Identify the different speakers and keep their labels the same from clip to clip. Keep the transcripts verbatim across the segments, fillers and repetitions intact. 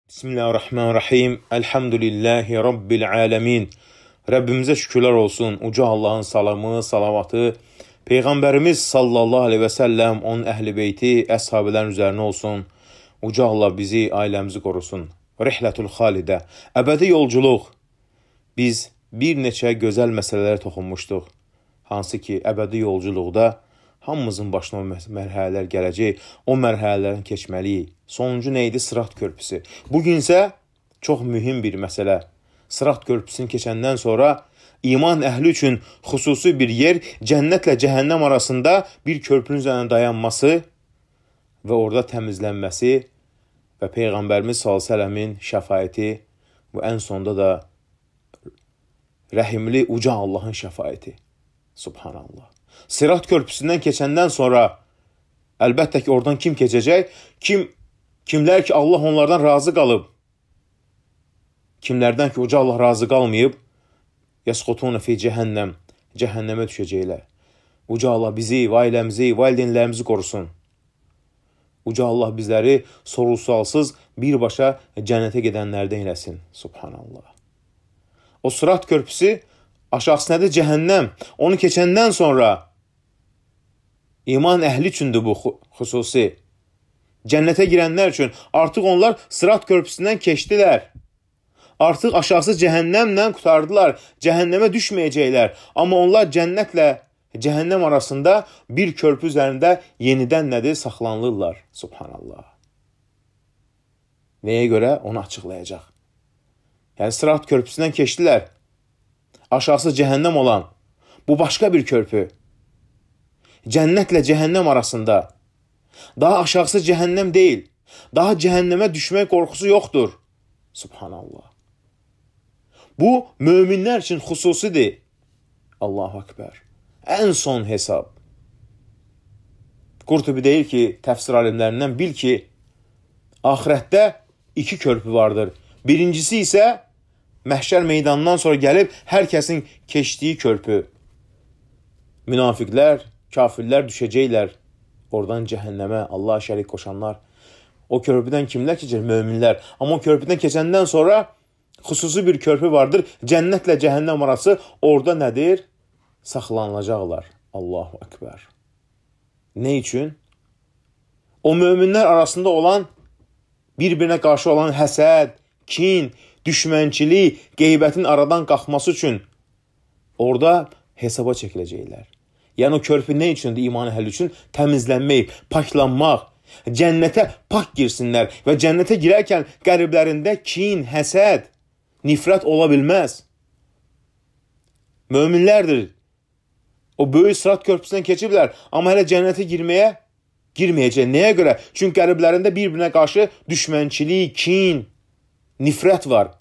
Speaker 1: Bismillahirrahmanirrahim. Elhamdülillahi Rabbil alemin. Rəbbimizə şükürlər olsun. Uca Allahın salamı, salavatı, Peyğəmbərimiz sallallahu aleyhi və səlləm, onun əhl-i beyti, əshabilərin üzərinə olsun. Uca Allah bizi, ailəmizi qorusun. Rihlətül xalidə, əbədi yolculuq. Biz bir neçə gözəl məsələlərə toxunmuşduq. Hansı ki, əbədi yolculuqda hamımızın başına o mərhələlər gələcək, o mərhələlərin keçməliyik. Sonuncu neydi? Sırat körpüsü. Bugün isə çox mühüm bir məsələ. Sırat körpüsünü keçəndən sonra iman əhli üçün xüsusi bir yer, cənnətlə cəhənnəm arasında bir körpünün üzərində dayanması və orada təmizlənməsi və Peyğəmbərimiz sallallahu əleyhi və səlləmin şəfaəti və ən sonda da rəhimli uca Allahın şəfaəti. Subhanallah. Sırat körpüsündən keçəndən sonra əlbəttə ki, oradan kim keçəcək? Kim, kimlər ki, Allah onlardan razı qalıb. Kimlərdən ki, uca Allah razı qalmayıb, yəsqutuna fi cəhənnəm, cəhənnəmə düşəcəklər. Uca Allah bizi, ailəmizi, valideynlərimizi qorusun. Uca Allah bizləri sorğu-sualsız birbaşa cənnətə gedənlərdən eləsin. Subhanallah. O sırat körpüsü aşağısı nədir? Cəhənnəm. Onu keçəndən sonra iman əhli üçündür bu xüsusi. Cənnətə girənlər üçün artıq onlar sırat körpüsündən keçdilər. Artıq aşağısı cəhənnəmlə qutardılar. Cəhənnəmə düşməyəcəklər. Amma onlar cənnətlə cəhənnəm arasında bir körpü üzərində yenidən nədir? Saxlanılırlar. Subhanallah. Nəyə görə? Onu açıqlayacaq. Yəni sırat körpüsündən keçdilər. Aşağısı cəhənnəm olan bu başqa bir körpü. Cənnətlə cəhənnəm arasında. Daha aşağısı cəhənnəm deyil. Daha cəhənnəmə düşmək qorxusu yoxdur. Subhanallah. Bu, möminlər üçün xüsusidir. Allahu Akbar. Ən son hesab. Qurtubi deyir ki, təfsir alimlərindən bil ki, axirətdə iki körpü vardır. Birincisi isə məhşər meydanından sonra gəlib hər kəsin keçdiyi körpü. Münafiqlər, kafirlər düşəcəklər. Oradan cəhənnəmə, Allah'a şərik qoşanlar. O körpüdən kimlər keçir? Möminlər. Amma o körpüdən keçəndən sonra xüsusi bir körpü vardır. Cənnətlə cəhənnəm arası orada nədir? Saxlanılacaqlar. Allahu Ekber. Ne üçün? O möminlər arasında olan, bir-birinə qarşı olan həsəd, kin, düşmənçilik, qeybətin aradan qalxması üçün orada hesaba çəkiləcəklər. Yəni o körpü nə üçündür? İman əhli üçün təmizlənmək, paklanmaq, cənnətə pak girsinlər və cənnətə girərkən qəlblərində kin, həsəd, nifrət ola bilməz. Möminlərdir. O böyük sırat körpüsündən keçiblər, amma hələ cənnətə girməyə girməyəcək. Nəyə görə? Çünki qəlblərində bir-birinə qarşı düşmənçilik, kin, nifrət var.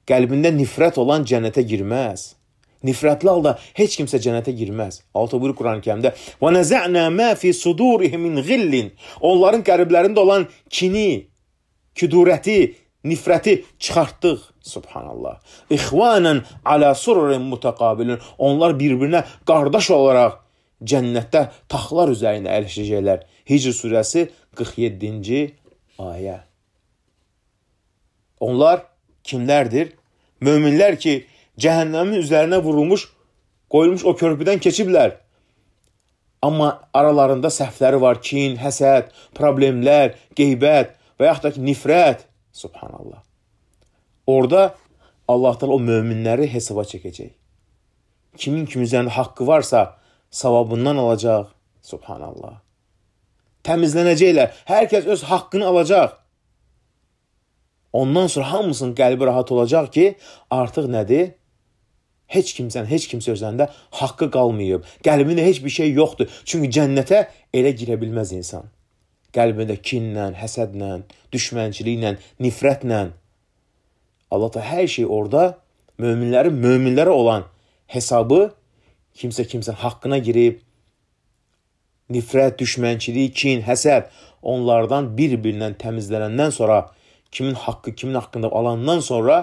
Speaker 1: Qəlbində nifrət olan cənnətə girməz. Nifrətli halda heç kimsə cənnətə girməz. Altı buyur Quran-ı Kərimdə. وَنَزَعْنَا مَا فِي صُدُورِهِمْ مِنْ غِلٍّ Onların qəlblərində olan kini, küdurəti, nifrəti çıxartdıq. Subhanallah. İxvanən alə sururin mutaqabilin. Onlar bir-birinə qardaş olaraq cənnətdə taxtlar üzərində əyləşəcəklər. Hicr surəsi qırx yeddinci ayə. Onlar kimlərdir? Möminlər ki, cəhənnəmin üzərinə vurulmuş, qoyulmuş o körpüdən keçiblər. Amma aralarında səhvləri var, kin, həsəd, problemlər, qeybət və yaxud da ki, nifrət. Subhanallah. Orada Allah Teala o möminləri hesaba çəkəcək. Kimin kimin üzərində haqqı varsa, savabından alacaq. Subhanallah. Təmizlənəcəklər. Hər kəs öz haqqını alacaq. Ondan sonra hamısının qəlbi rahat olacaq ki, artıq nədir? Heç kimsən, heç kimsə özlərində haqqı qalmayıb. Qəlbində heç bir şey yoxdur. Çünki cənnətə elə girə bilməz insan. Qəlbində kinlə, həsədlə, düşmənçiliklə, nifrətlə. Allah da hər şey orada möminlərin, möminlərə olan hesabı kimsə kimsən haqqına girib, nifrət, düşmənçilik, kin, həsəd onlardan bir-birindən təmizlənəndən sonra, kimin haqqı, kimin haqqında alandan sonra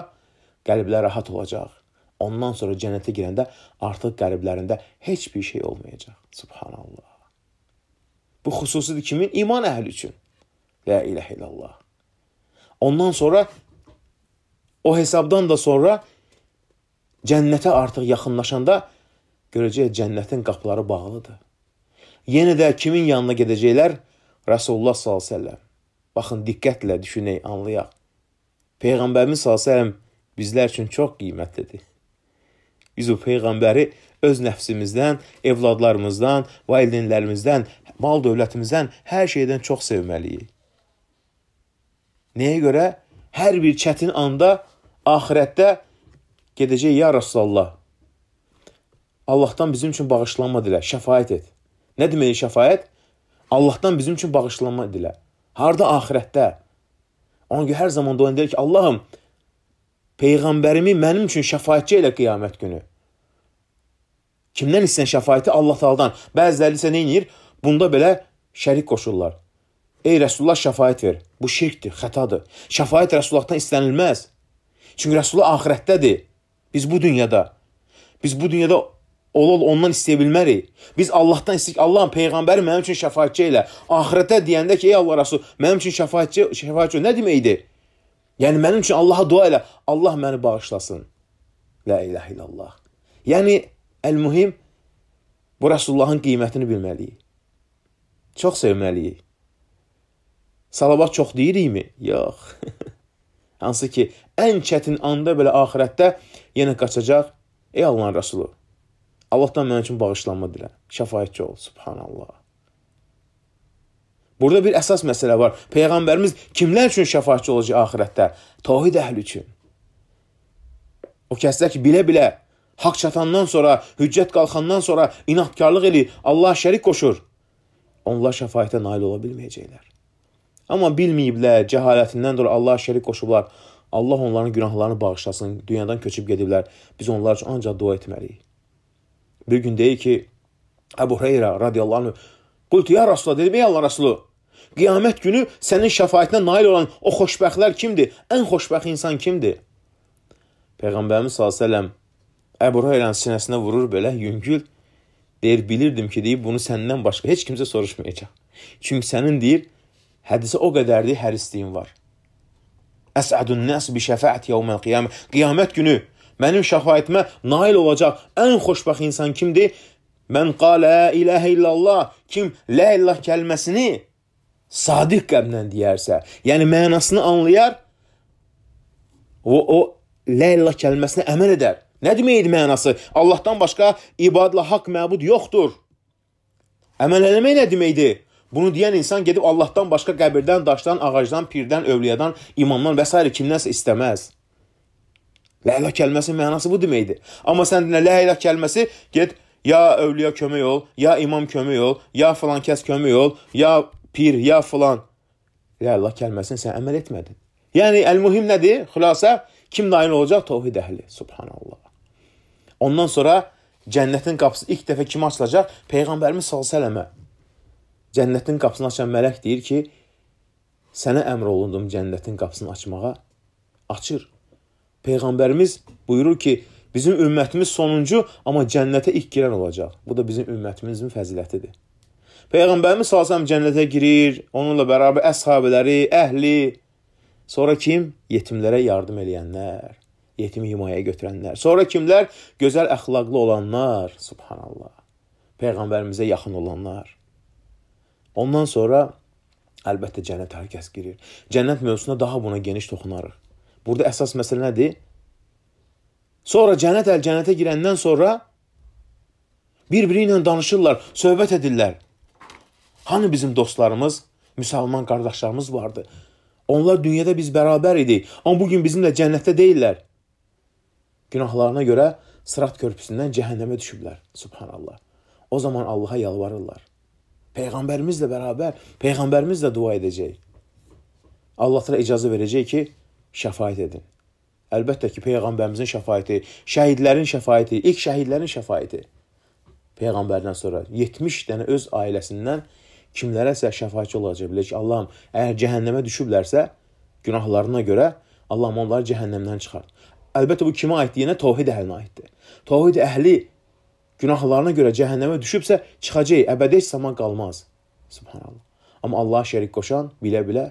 Speaker 1: qəlblər rahat olacaq. Ondan sonra cənnətə girəndə artıq qəlblərində heç bir şey olmayacaq. Subhanallah. Bu xüsusidir kimin? İman əhli üçün. La ilahe illallah. Ondan sonra o hesabdan da sonra cənnətə artıq yaxınlaşanda görəcək cənnətin qapıları bağlıdır. Yenə də kimin yanına gedəcəklər? Rasulullah sallallahu əleyhi və səlləm. Baxın, diqqətlə düşünək, anlayaq. Peyğəmbərimiz sallallahu əleyhi və səlləm bizlər üçün çox qiymətlidir. Biz o Peyğəmbəri öz nəfsimizdən, evladlarımızdan, valideynlərimizdən, mal dövlətimizdən, hər şeydən çox sevməliyik. Nəyə görə? Hər bir çətin anda, axirətdə gedəcək, ya Rasulallah, Allahdan bizim üçün bağışlanma dilə, şəfaət et. Nə demək şəfaət? Allahdan bizim üçün bağışlanma dilə. Harada? Axirətdə. Ona görə hər zaman dua edir ki, Allahım, Peyğəmbərimi mənim üçün şəfaətçi elə qiyamət günü. Kimdən istəyən şəfaəti? Allah Taala'dan. Bəziləri isə nə edir? Bunda belə şərik qoşurlar. Ey Rəsulullah, şəfaət ver. Bu şirkdir, xətadır. Şəfaət Rəsullahdan istənilməz. Çünki Rəsulullah axirətdədir. Biz bu dünyada. Biz bu dünyada ol-ol ondan istəyə bilmərik. Biz Allahdan istəyik, Allahın Peyğəmbəri mənim üçün şəfaətçi elə. Axirətdə deyəndə ki, ey Allah Rəsul, mənim üçün şəfaətçi, şəfaətçi nə deməkdir? Yəni, mənim üçün Allaha dua elə. Allah məni bağışlasın. La ilahə illallah. Yəni, əl-mühim, bu Rəsullahın qiymətini bilməliyik. Çox sevməliyik. Salavat çox deyirikmi? Yox. Hansı ki, ən çətin anda belə axirətdə yenə qaçacaq. Ey Allahın Rəsulu, Allahdan mənim üçün bağışlanma dilə. Şəfaətçi ol. Subhanallah. Burada bir əsas məsələ var. Peyğəmbərimiz kimlər üçün şəfaətçi olacaq axirətdə? Tavhid əhli üçün. O kəslər ki, bilə-bilə haqq çatandan sonra, hüccət qalxandan sonra inatkarlıq eləyir, Allah şərik qoşur. Onlar şəfaətə nail ola bilməyəcəklər. Amma bilməyiblər, cəhalətindən dolayı Allah şərik qoşublar. Allah onların günahlarını bağışlasın, dünyadan köçüb gediblər. Biz onlar üçün ancaq dua etməliyik. Bir gün deyir ki, Əbu Hüreyrə radiyallahu anh, qultu ya Rasulullah, dedim, ey Allah Rasulü, qiyamət günü sənin şəfaətinə nail olan o xoşbəxtlər kimdir? Ən xoşbəxt insan kimdir? Peyğəmbərimiz sallallahu əleyhi və səlləm Əbu Hüreyrənin sinəsinə vurur belə, yüngül. Deyir, bilirdim ki, deyib, bunu səndən başqa heç kimsə soruşmayacaq. Çünki sənin, deyir, hədisə o qədərdir, hərisliyin var. Əsədun nəs bi şəfəət yevməl qiyamə. Qiyamət günü mənim şəfayətimə nail olacaq ən xoşbəxt insan kimdir? Mən qalə iləhə illallah. Kim la illah kəlməsini sadiq qəlblə deyərsə, yəni mənasını anlayar, o, o la illah kəlməsinə əməl edər. Nə deməkdir mənası? Allahdan başqa ibadla haqq məbud yoxdur. Əməl eləmək nə deməkdir? Bunu deyən insan gedib Allahdan başqa qəbirdən, daşdan, ağacdan, pirdən, övliyadan, imamdan və s. kimdənsə istəməz. La ilah kəlməsinin mənası bu deməkdir. Amma sən dinlə, la ilah kəlməsi, get, ya övliya kömək ol, ya imam kömək ol, ya filan kəs kömək ol, ya pir, ya filan. La ilah kəlməsini sən əməl etmədin. Yəni, əl-mühim nədir? Xülasə, kim nail olacaq? Tavhid əhli. Subhanallah. Ondan sonra cənnətin qapısı ilk dəfə kim açılacaq? Peyğəmbərimiz sallallahu əleyhi və səlləmə. Cənnətin qapısını açan mələk deyir ki, sənə əmr olundum cənnətin qapısını açmağa. Açır. Peyğəmbərimiz buyurur ki, bizim ümmətimiz sonuncu, amma cənnətə ilk girən olacaq. Bu da bizim ümmətimizin fəzilətidir. Peyğəmbərimiz sallallahu əleyhi və səlləm cənnətə girir, onunla bərabər əshabələri, əhli. Sonra kim? Yetimlərə yardım eləyənlər, yetimi himayəyə götürənlər. Sonra kimlər? Gözəl əxlaqlı olanlar. Subhanallah. Peyğəmbərimizə yaxın olanlar. Ondan sonra əlbəttə cənnət hər kəs girir. Cənnət mövzusuna daha buna geniş toxunarıq. Burada əsas məsələ nədir? Sonra cənnət əl cənnətə girəndən sonra bir-biri ilə danışırlar, söhbət edirlər. Hani bizim dostlarımız, müsəlman qardaşlarımız vardı? Onlar dünyada biz bərabər idik, amma bugün bizimlə cənnətdə deyirlər. Günahlarına görə Sırat körpüsündən cəhənnəmə düşüblər. Subhanallah. O zaman Allaha yalvarırlar. Peyğəmbərimizlə bərabər, Peyğəmbərimizlə dua edəcək. Allah təala icazə verəcək ki, şəfaət edin. Əlbəttə ki, Peyğəmbərimizin şəfaəti, şəhidlərin şəfaəti, ilk şəhidlərin şəfaəti. Peyğəmbərdən sonra yetmiş dənə öz ailəsindən kimlərəsə şəfaətçi olacaq. Bilir ki, Allahım, əgər cəhənnəmə düşüblərsə, günahlarına görə Allahım onları cəhənnəmdən çıxart. Əlbəttə, bu kimə aiddir? Yenə tavhid əhlinə aiddir. Tavhid əhli günahlarına görə cəhənnəmə düşübsə, çıxacaq, əbədi heç zaman qalmaz. Subhanallah. Amma Allaha şərik qoşan bilə-bilə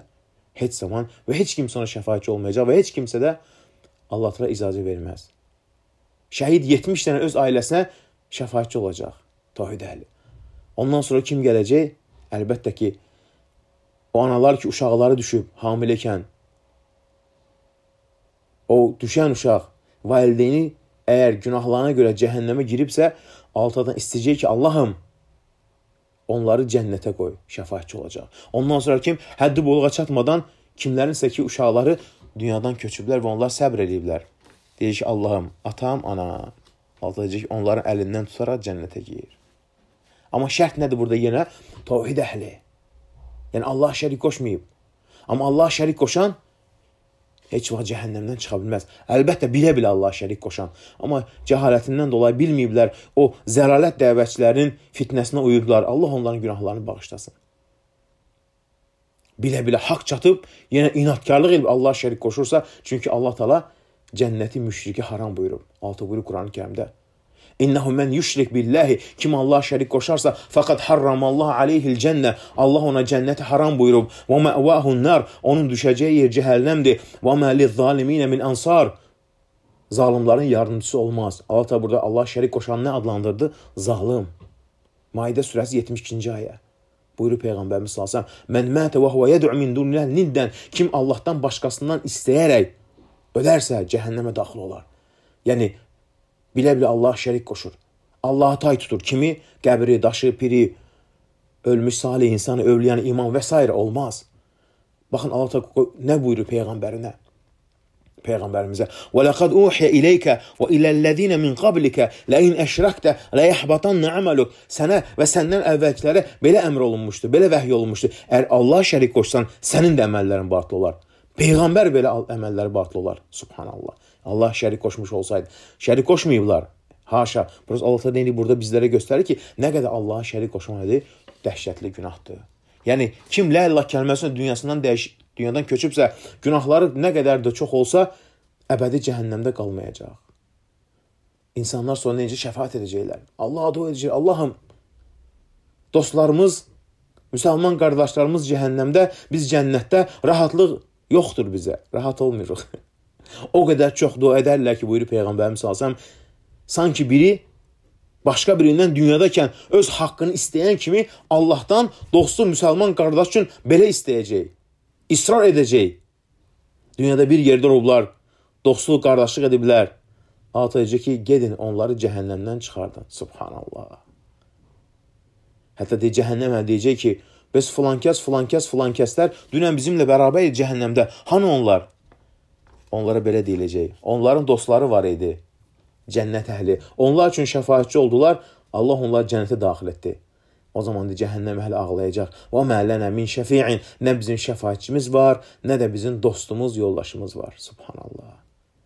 Speaker 1: heç zaman və heç kimsə ona şəfaətçi olmayacaq və heç kimsə də Allah təala icazə verməz. Şəhid yetmiş dənə öz ailəsinə şəfaətçi olacaq. Tövhid əhli. Ondan sonra kim gələcək? Əlbəttə ki, o analar ki, uşaqları düşüb hamiləykən, o düşən uşaq valideyni əgər günahlarına görə cəhənnəmə giribsə, altadan istəyəcək ki, Allahım, onları cənnətə qoy, şəfaətçi olacaq. Ondan sonra kim həddi buluğa çatmadan kimlərinsə ki, uşaqları dünyadan köçüblər və onlar səbr ediblər. Deyir ki, Allahım, atam, anam, altıcıq onların əlindən tutaraq cənnətə geyir. Amma şərt nədir burada yenə? Tövhid əhli. Yəni Allah şərik qoşmayıb. Amma Allah şərik qoşan heç vaxt cəhənnəmdən çıxa bilməz. Əlbəttə, bilə-bilə Allah şərik qoşan. Amma cəhalətindən dolayı bilməyiblər, o zəlalət dəvətçilərinin fitnəsinə uyublar. Allah onların günahlarını bağışlasın. Bilə-bilə haqq çatıb, yenə inatkarlıq edib Allah şərik qoşursa, çünki Allah Taala cənnəti müşriki haram buyurub. Altı buyurub Quran-ı Kərimdə. İnnehu men yüşrik billahi, kim Allah şərik qoşarsa, faqad harramallahu aleyhil cənnə, Allah ona cənnəti haram buyurub. Və məvahun nar, onun düşəcəyi yer cəhənnəmdir. Və mə lizzaliminə min ansar, zalimların yardımcısı olmaz. Allah da burada Allah şərik qoşan nə adlandırdı? Zalim. Maidə surəsi yetmiş ikinci ayə. Buyurur Peyğəmbərimiz sallallahu əleyhi və səlləm: "Mən mətə və huve yed'u min dunillah niddən", kim Allahdan başqasından istəyərək ölərsə cəhənnəmə daxil olar. Yəni bilə-bilə Allah şərik qoşur. Allah'a tay tutur. Kimi? Qəbri, daşı, piri, ölmüş salih insanı, övliyanı, iman və s. olmaz. Baxın Allah nə buyurur Peyğəmbərinə? Peyğəmbərimizə: "Və laqad uhiya ilayka və ilellezina min qablika la in əşrakta la yahbatanna amaluk." Sənə və səndən əvvəlkilərə belə əmr olunmuşdu, belə vəhy olunmuşdu. Əgər Allah şərik qoşsan, sənin də əməllərin batıl olar. Peyğəmbər belə əməlləri batıl olar. Subhanallah. Allah şərik qoşmuş olsaydı. Şərik qoşmayıblar. Haşa. Burası Allah da burada bizlərə göstərir ki, nə qədər Allah'a şərik qoşmalıdır, dəhşətli günahdır. Yəni, kim la ilah kəlməsinin dünyasından dəyiş, dünyadan köçübsə, günahları nə qədər də çox olsa, əbədi cəhənnəmdə qalmayacaq. İnsanlar sonra necə şəfaət edəcəklər? Allah'a dua edəcək. Allahım, dostlarımız, müsəlman qardaşlarımız cəhənnəmdə, biz cənnətdə rahatlıq yoxdur bizə. Rahat olmuruq. O qədər çox dua edərlər ki, buyurur Peyğəmbərimiz sallallahu əleyhi və səlləm, sanki biri başqa birindən dünyadakən öz haqqını istəyən kimi Allahdan dostu müsəlman qardaş üçün belə istəyəcək. İsrar edəcək. Dünyada bir yerdə olublar, dostluq, qardaşlıq ediblər. Atayacaq ki, gedin onları cəhənnəmdən çıxardın. Subhanallah. Hətta de, cəhənnəm deyəcək ki, biz filankəs, filankəs, filankəslər dünən bizimlə bərabər cəhənnəmdə. Hanı onlar? Onlara belə deyiləcək. Onların dostları var idi. Cənnət əhli. Onlar üçün şəfaətçi oldular. Allah onları cənnətə daxil etdi. O zaman da cəhənnəm əhli ağlayacaq. Və mələnə min şəfi'in. Nə bizim şəfaətçimiz var, nə də bizim dostumuz, yoldaşımız var. Subhanallah.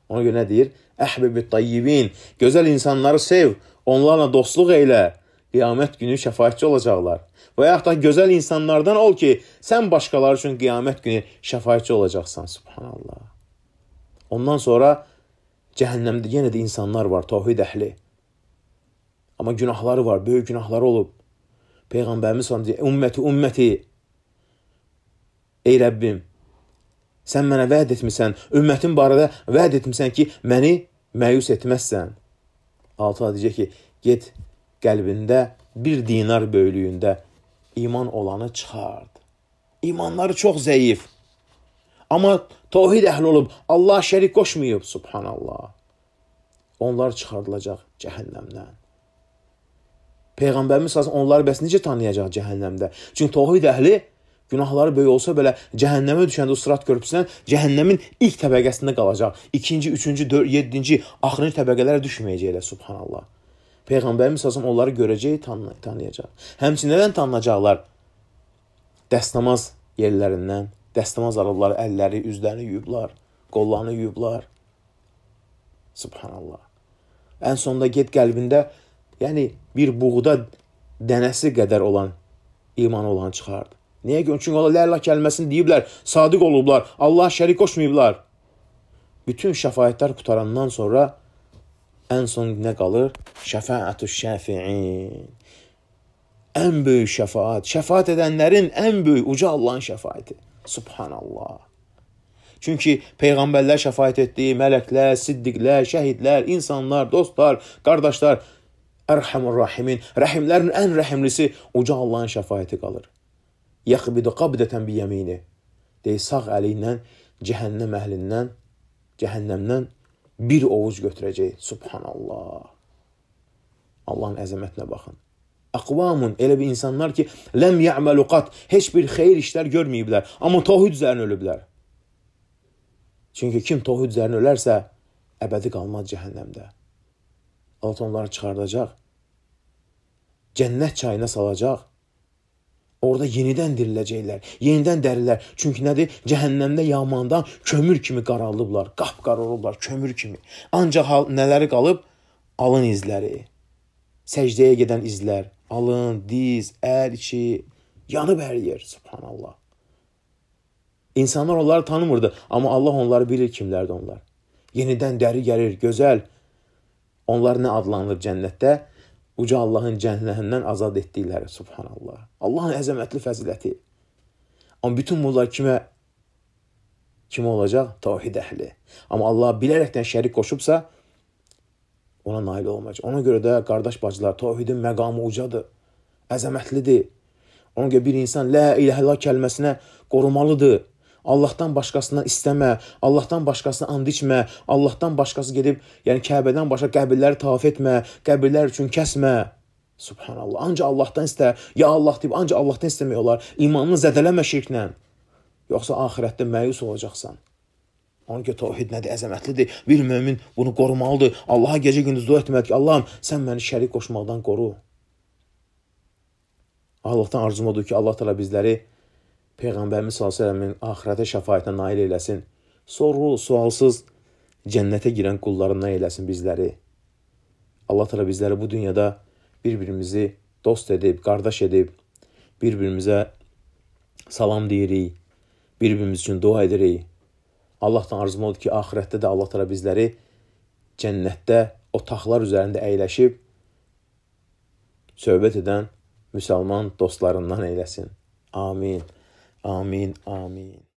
Speaker 1: Ona görə nə deyir? Əhbibit tayyibin. Gözəl insanları sev. Onlarla dostluq eylə. Qiyamət günü şəfaətçi olacaqlar. Və yaxud da gözəl insanlardan ol ki, sən başqaları üçün qiyamət günü şəfaətçi olacaqsan. Subhanallah. Ondan sonra cəhənnəmdə yenə də insanlar var, tövhid əhli. Amma günahları var, böyük günahları olub. Peyğəmbərimiz sallallahu əleyhi və səlləm deyir: "Ümməti, ümməti. Ey Rəbbim, sən mənə vəd etmisən, ümmətin barədə vəd etmisən ki, məni məyus etməzsən." Altı deyəcək ki, get qəlbində bir dinar böyüklüyündə iman olanı çıxard. İmanları çox zəif. Amma tövhid əhli olub, Allah şərik qoşmayıb, subhanallah. Onlar çıxardılacaq cəhənnəmdən. Peyğəmbərimiz sallallahu onları bəs necə tanıyacaq cəhənnəmdə? Çünki tövhid əhli günahları böyük olsa belə cəhənnəmə düşəndə o sırat körpüsündən cəhənnəmin ilk təbəqəsində qalacaq. İkinci, üçüncü, dörd, yeddinci, axırıncı təbəqələrə düşməyəcəklər, subhanallah. Peyğəmbərimiz sallallahu onları görəcək, tanıyacaq. Həmçinin nədən tanınacaqlar? Dəstəmaz yerlərindən. Dəstəmaz aradılar, əlləri, üzlərini yuyublar, qollarını yuyublar. Subhanallah. Ən sonunda get qəlbində, yəni bir buğda dənəsi qədər olan iman olan çıxardı. Niyə görə? Çünki onlar la ilah kəlməsini deyiblər, sadiq olublar, Allah şərik qoşmayıblar. Bütün şəfaətlər qutarandan sonra ən son nə qalır? Şəfaətü şəfi'in. Ən böyük şəfaat, şəfaat edənlərin ən böyük, uca Allahın şəfaəti. Subhanallah. Çünki Peyğəmbərlər şəfaət etdiyi mələklər, siddiqlər, şəhidlər, insanlar, dostlar, qardaşlar, Ərhamur Rahimin, rəhimlərin ən rəhimlisi uca Allahın şəfaəti qalır. Yəxbidu qabdətən biyəmini. Deyir, sağ əli ilə cəhənnəm əhlindən, cəhənnəmdən bir ovuc götürəcək. Subhanallah. Allahın əzəmətinə baxın. Əqvamun, elə bir insanlar ki, ləm yə'məlu qat, heç bir xeyir işlər görməyiblər, amma tohid üzərinə ölüblər. Çünki kim tohid üzərinə ölərsə, əbədi qalmaz cəhənnəmdə. Allah onları çıxardacaq, cənnət çayına salacaq, orada yenidən diriləcəklər, yenidən dərilər. Çünki nədir? Cəhənnəmdə yamandan kömür kimi qaralılıblar, qapqara olublar, kömür kimi. Ancaq nələri qalıb? Alın izləri, səcdəyə gedən izlər, alın, diz, əl, içi, yanıb əriyir. Subhanallah. İnsanlar onları tanımırdı, amma Allah onları bilir kimlərdir onlar. Yenidən dəri gəlir, gözəl. Onlar nə adlanır cənnətdə? Uca Allahın cənnətindən azad etdikləri. Subhanallah. Allahın əzəmətli fəziləti. Amma bütün bunlar kimə kimə olacaq? Tavhid əhli. Amma Allah bilərəkdən şərik qoşubsa, ona nail olmayacaq. Ona görə də qardaş bacılar, tavhidin məqamı ucadır, əzəmətlidir. Ona görə bir insan la ilahe illallah kəlməsinə qorumalıdır. Allahdan başqasından istəmə, Allahdan başqasına and içmə, Allahdan başqası gedib, yəni Kəbədən başqa qəbirləri tavaf etmə, qəbirlər üçün kəsmə. Subhanallah. Ancaq Allahdan istə, ya Allah deyib, ancaq Allahdan istəmək olar. İmanını zədələmə şirklə. Yoxsa axirətdə məyus olacaqsan. Onun ki, tavhid nədir? Əzəmətlidir. Bir mömin bunu qorumalıdır. Allaha gecə gündüz dua etməlidir ki, Allahım, sən məni şərik qoşmaqdan qoru. Allahdan arzum odur ki, Allah təala bizləri Peyğəmbərimiz sallallahu əleyhi və səlləmin axirətə şəfaətinə nail eləsin. Sorğu, sualsız cənnətə girən qullarından eləsin bizləri. Allah təala bizləri bu dünyada bir-birimizi dost edib, qardaş edib, bir-birimizə salam deyirik, bir-birimiz üçün dua edirik. Allahdan arzum odur ki, axirətdə də Allah təala bizləri cənnətdə o taxtlar üzərində əyləşib söhbət edən müsəlman dostlarından eyləsin. Amin. Amin. Amin.